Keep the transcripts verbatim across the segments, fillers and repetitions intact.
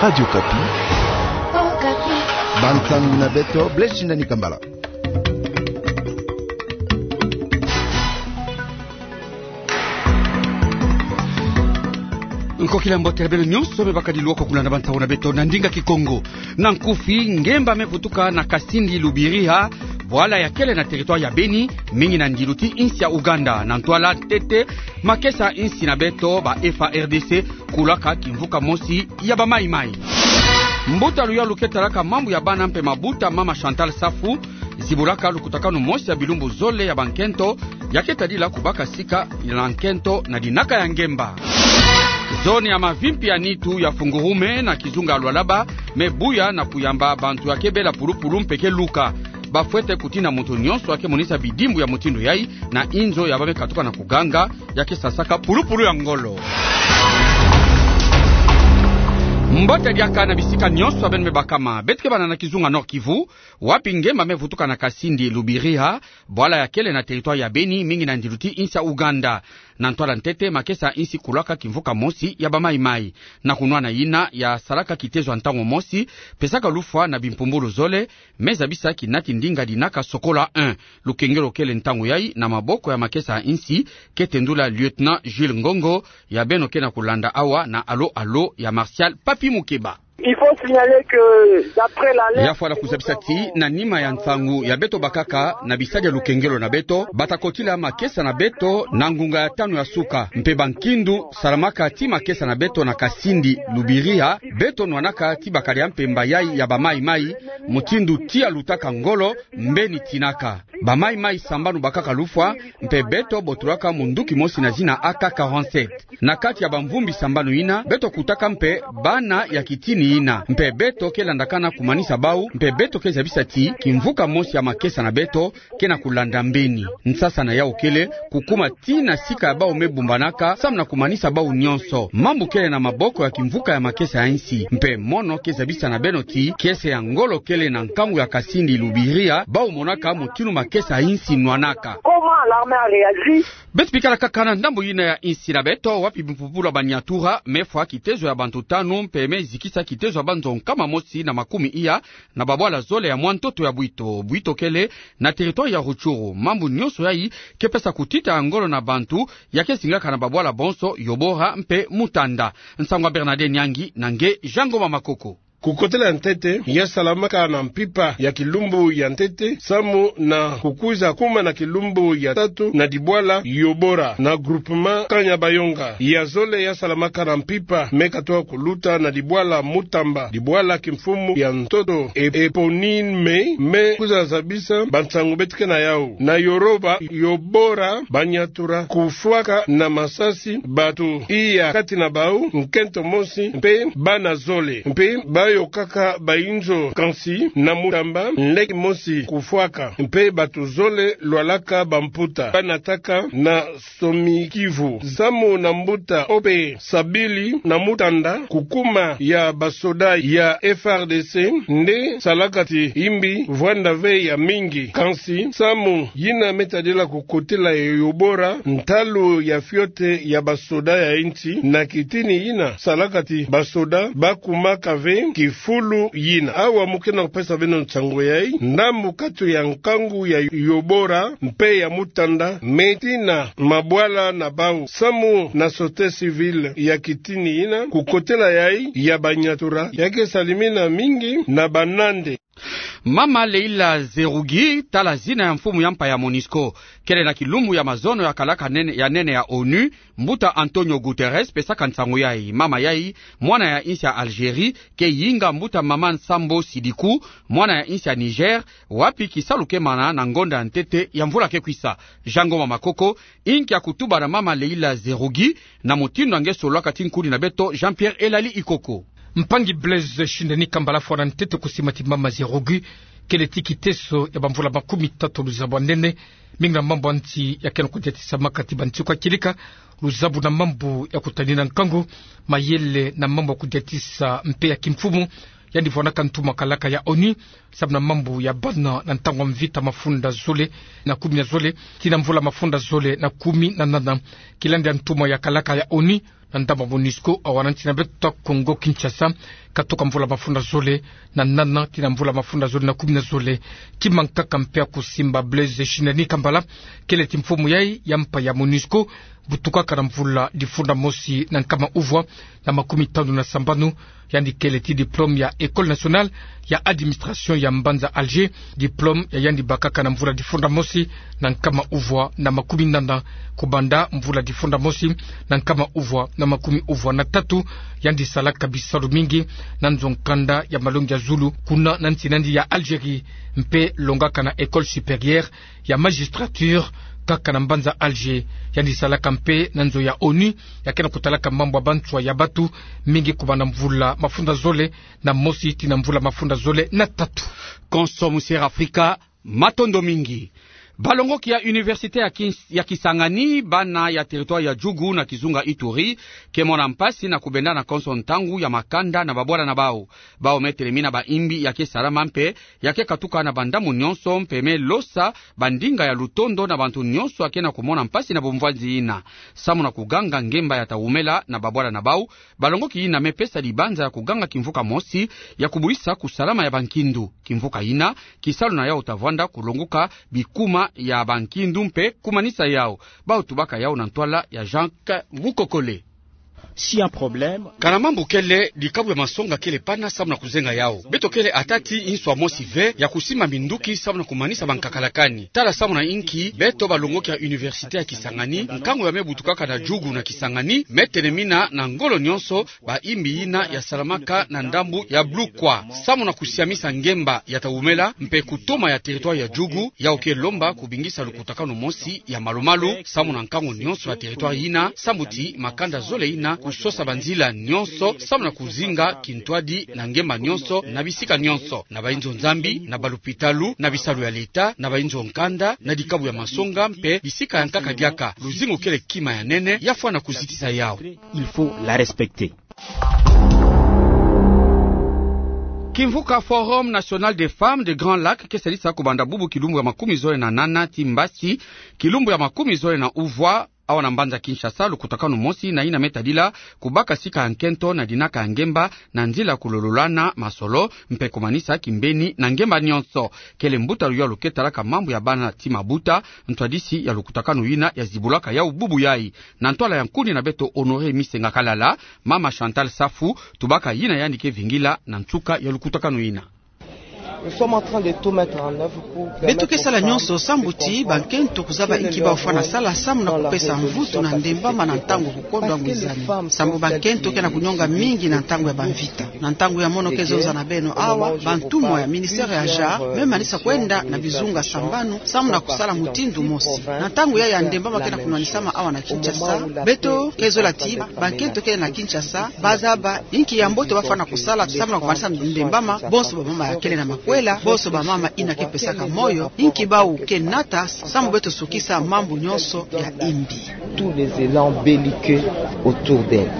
Radio Okapi. Bansangu na beto, Blaise Shindani Kambala. Nkokila mbote na beno nyonso me bakadi lwoko kulanda bansangu na beto na ndinga Kikongo. Na nkufi, ngemba me vutuka na Kasindi Lubiriha, bwala ya kele na territoire ya Beni, mingi na ndilu ti insi ya Ouganda. Na ntwala ntete, makesa insi na beto, ba F A R D C, kulaka kimvuka mosi ya ba Mai Mai. Mbuta luyalu ke talaka mambu ya bana mpe mabuta, mama Chantal Safu, zibulaka lukutakanu mosi ya bilumbu zole ya bankento, ya ke tadila kubaka sika na nkento na dinaka ya ngemba. Zone ya Mavimpi ya Nitu ya fungurume na kizunga Lualaba, me buya na kuyamba bantu ya ke bela pulupulu mpe ke luka. Ba fwete kutina muntu nyonso ya ke monisa bidimbu ya mutindu yai na inzo ya ba me katuka na kuganga, ya ke sasaka pulupulu ya ngolo. Mbote diaka na bisika nyonso ya beno me bakama. Beto ke bana na kizunga Nord-Kivu, wapi ngemba me vutuka na Kasindi Lubiriha, bwala ya kele na territoire ya Beni, mingi na ndilu ti insi ya Ouganda. Na ntwala ntete, makesa insi kulaka kimvuka mosi ya ba Mai Mai. Na kunwana yina ya salaka kitezo ya ntangu mosi, pesaka lufwa na bimpumbulu zole, me zabisa kinati ndinga dinaka Sokola un. Lukengelo kele ntangu yai na maboko ya makesa insi, ke tendula lieutenant Jules Ngongo, ya beno ke na kulanda awa na alo alo ya Martial Papi Mukeba. Il faut signaler que, d'après l'alerte, ya fwana kuzabisa ti na nima ya nsangu ya beto bakaka na bisadi ya lukengelo na beto, bata kotila makesa na beto na ngunga ya tanu ya suka. Mpe bankindu salamaka ti makesa na beto na Kasindi Lubiriha, beto nwanaka ti bakadia mpemba yai ya ba Mai Mai, mutindu tia lutaka ngolo, mbeni tinaka. Ba Mai Mai sambanu bakaka lufwa, mpe beto botulaka munduki mosi na zina A K quarante-sept. Na kati ya bamvumbi sambanu yina, beto kutaka mpe bana ya kitini yina. Mpe beto ke landakana kumanisa bau, mpe beto ke zabisa ti kimvuka mosi ya makesa na beto ke na kulanda mbeni. Nsasa na yau kele kukuma ti na sika ya bau me bumbanaka, samu na kumanisa bau nyonso. Mambu kele na maboko ya kimvuka ya makesa ya insi. Mpe mono ke zabisa na beno ti kiese ya ngolo kele na nkangu ya Kasindi Lubiriha, bau monaka mutindu makesa ya insi nwanaka. Comment l'armée a réagi ? Beto bikala kaka na ndambu yina ya insi na beto, wapi bimpumbulu ya Banyatura me fwa kitezo ya bantu tanu, mpe me zikisa kitezo ya banzo nkama mosi na makumi iya na babwala zole ya mwa ntoto ya bwito. Bwito kele na territoire ya Rutshuru. Mambu nyonso yai ke pesa kutita ya ngolo na bantu ya ke zingaka na babwala bonso Yobora mpe Mutanda. Nsangu ya Bernadette Nyangi na nge Jean Ngoma Makoko. Kukotela ya ntete, ya salamaka na mpimpa ya kilumbu ya ntete, samu na kukwiza kuma na kilumbu ya tatu na dibwala Yobora, na groupement Kanyabayonga. Ya zole ya salamaka na mpimpa me katoka kuluta na dibwala Mutamba, dibwala kimfumu ya ntoto e-, éponyme, me kwiza zabisa bansangu beto ke na yau. Na Yoroba, Yobora, Banyatura kufwaka na masasi bantu iya kati na bau, nkento mosi mpe bana zole, mpe bayokaka bainzo. Kansi na Mutamba, nleke mosi kufwaka, mpe bantu zole lwalaka bamputa, banataka na Somi Kivu. Samu na mbuta Ope Sabili na Mutanda, kukuma ya basoda ya F R D C nde salaka ti imbi vwanda ve ya mingi. Kansi samu yina me tadila kukotela ya Yobora, ntalu ya fioti ya basoda ya insi na kitini yina salaka ti basoda bakumaka ve kifulu yina. Awa mu ke na kupesa beno nsangu yai, ndambu kati ya nkangu ya Yobora mpe ya Mutanda me tina mabwala na bau. Samu na société civile ya kitini yina, kukotela yai ya Banyatura ya ke salimina mingi na banande. Mama Leila Zerrougui, tala zina ya mfumu ya mpa ya Monusco, kele na kilumbu ya mazono ya kalaka nene, ya nene ya onu, mbuta Antonio Guterres pesaka nsangu yai. Mama yai, mwana ya insi ya Algérie, ke yinga mbuta Maman Sambo Sidiki, mwana ya insi ya Niger, wapi kisalu ke mana na ngonda ya ntete ya mvula ke kwisa. Jean Ngoma Makoko, inki ya kutuba na mama Leila Zerrougui, na mutindu nge sololaka ti nkuni na beto Jean-Pierre Elali Ikoko. Mpangi Blaise Shindani Kambala, fwana ntete kusima ti mama Zerrougui kele ti kiteso ya bamvula makumi tatu luzabu ya nene, mingi na mambu ya nsi ya ke na kudiatisamaka ti bansiku ya kieleka, luzabu na mambu ya kutanina nkangu, mayele na mambu ya kudiatisa mpe ya kimfumu, yandi vwanaka ntumwa kalaka ya onu, samu na mambu ya bana na ntangu ya mvita mafunda zole na kumi na zole, tii na mvula mafunda zole na kumi na nana. Kilendi ya ntumwa ya kalaka ya onu, na ndambu ya MONUSCO, awa na nsi na beto Kongo Kinshasa, katoka mvula mafunda zole na nana tii na mvula mafunda zole na kumi na zole. Kima nkaka mpe ya kusimba Blaise Shindani Kambala, kele ti mfumu yai ya mpa ya MONUSCO, butukaka na mvula difunda mosi na nkama uvwa na makumi tanu na sambanu, yandi kele ti diplôme ya École nationale ya administration ya mbanza Alger, diplôme ya yandi bakaka na mvula difunda mosi na nkama uvwa na makumi nana, kubanda mvula difunda mosi na nkama uvwa na makumi uvwa na tatu. Yandi salaka bisalu mingi na nzo nkanda ya malongi ya zulu kuna na nsi na yandi ya Algérie, mpe longaka na École supérieure ya magistrature, kaka na mbanza Alger. Yandi salaka mpe na nzo ya ONU, ya ke na kutalaka mambu ya banswa ya batu, mingi kubanda mvula mafunda zole na mosi tii na mvula mafunda zole na tatu. Konso Musier Afrika, matondo mingi. Balongoki ya université ya Kins-, ya Kisangani, bana ya territoire ya Djugu na kizunga Ituri, ke mona mpasi na kubenda na konso ntangu ya makanda na babwala na bau. Bau me telemina baimbi ya ke salama mpe ya ke katuka na bandambu nyonso, mpe me losa bandinga ya lutondo na bantu nyonso ya ke na kumona mpasi na bumvwanzi yina. Samu na kuganga ngemba ya ta wumela na babwala na bau, balongoki yina me pesa dibanza ya kuganga kimvuka mosi ya kubwisa kusalama ya bankindu. Kimvuka yina, kisalu na yau ta vwanda kulonguka bikuma ya bankindu mpe kumanisa yau. Bau tubaka yau na ntwala ya Jacques Mukokole. Si un problème. Kana mambu kele, dikabu ya masonga kele pana samu na kuzenga yau. Beto kele ata ti nswa mosi ve ya kusimba minduki samu na kumanisa bankakalakani. Tala samu na inki beto balongoki ya université ya Kisangani, nkangu ya me butukaka na Djugu na Kisangani, me telemina na ngolo nyonso baimbi yina ya salamaka na ndambu ya Blukwa, samu na kusiamisa ngemba ya ta wumela mpe kutoma ya territoire ya Djugu. Yau ke lomba kubingisa lukutakanu mosi ya malu-malu samu na nkangu nyonso ya territoire yina, sambu ti makanda zole yina kusosa banzila nyonso samu na kuzinga kintwadi na ngemba nyonso, na bisika nyonso, na bainzo Nzambi, na balupitalu, na bisalu ya leta, na bainzo nkanda, na dikabu ya masonga mpe bisika ya nkaka diaka. Luzingu kele kima ya nene, ya fwana kuzitisa yau. Il faut la respecter. Kimvuka Forum National des Femmes de Grand Lac ke salisa kubanda bubu kilumbu ya makumi zole na nana ti mbasi kilumbu ya makumi zole na uvwa, awa na mbanza Kinshasa, lukutakanu mosi na yina me tadila kubaka sika ya nkento na dinaka ya ngemba na nzila kulololana masolo mpe kumanisa kimbeni na ngemba nyonso. Kele mbutalu yalu ke talaka mambu ya bana ti mabuta, ntwadisi ya lukutakanu yina ya zibulaka yau bubu yai. Na ntwala ya nkuni na beto Honoré Misenga Kalala, mama Chantal Safu tubaka yina yandi ke vingila na nsuka ya lukutakanu yina. Nous sommes en train de tout mettre en œuvre pour permettre aux femmes de comprendre que si elles ne vont pas dans la révolution, est-ce que les femmes, est-ce que les femmes peuvent vraiment se battre? Beto ke sala nyonso sambu ti bankento kuzaba inki bafwana sala samu na kupesa mvutu na ndembama na ntangu ya kukondwa ngwizani. Sambu bankento ke na kunyonga mingi na ntangu ya bamvita. Na ntangu ya mono ke zonza na beno awa, bantumwa ya ministère ya genre me manisa kwenda na bizunga sambanu samu na kusala mutindu mosi. Na ntangu ya ya ndembama ke na kunwanisama awa na Kinshasa, beto ke zola ti bankento ke na Kinshasa bazaba inki ya mbote bafwana kusala samu na kumanisa ndembama, bonso bamama ya kele na makwela, bonso bamama yina ke pesaka moyo, inki bau ke nata samu beto sukisa mambu nyonso ya imbi. Tous les élans belliqueux autour d'elles.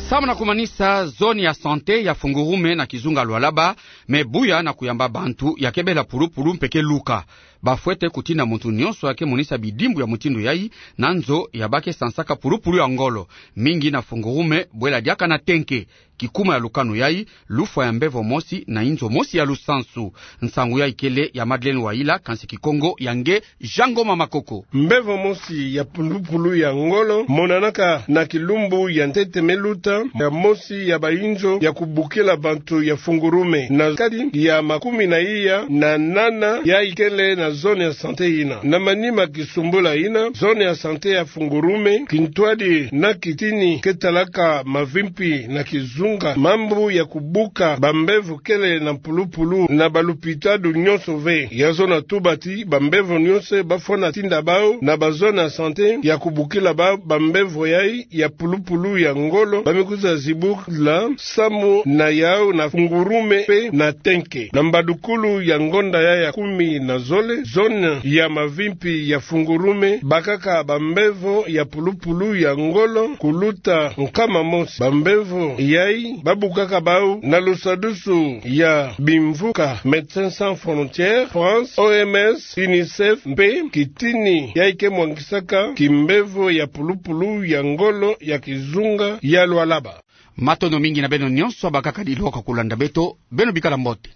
Samu na kumanisa zone ya santé ya Fungurume na kizunga Lualaba me buya na kuyamba bantu ya ke bela pulupulu mpe ke luka. Bafwete kutinda muntu nyonso ya ke monisa bidimbu ya mutindu yai na nzo ya ba ke sansaka pulupulu ya ngolo, mingi na Fungurume, bwela diaka na Tenke. Kikuma ya lukanu yai, lufwa ya mbevo mosi na inzo mosi ya lusansu. Nsangu yai kele ya Madeleine Wayila, kansi Kikongo ya nge Jean Ngoma Makoko. Mbevo mosi ya pulupulu ya ngolo monanaka na kilumbu ya ntete me luta, ya mosi ya bainzo ya kubukila bantu ya Fungurume, na kati ya makumi na iya na nana yai kele na zone ya santé yina. Na manima kisumbula yina, zone ya santé ya Fungurume, kintwadi na kitini ke talaka mavimpi na kizunga, mambu ya kubuka bambevo kele na mpulupulu na balupitalu nyonso ve. Ya zona tuba ti bambevo nyonso bafwana tinda bau na bazone ya santé ya kubukila bau bambevo yai ya pulupulu ya ngolo ba me kwiza zibula samu na yau na Fungurume mpe na Tenke. Na mbadukulu ya ngonda yai ya kumi na zole, zone ya mavimpi ya Fungurume, bakaka bambevo ya pulupulu ya ngolo kuluta nkama mosi. Bambevo yayi babukaka bau na lusadusu ya bimvuka Médecins Sans Frontières, France, O M S, UNICEF mpe kitini yayi ke mwangisaka kimbevo ya pulupulu ya ngolo ya kizunga ya Lualaba. Matondo mingi na beno nyonso abakaka diloka kulanda beto, beno bikala mbote.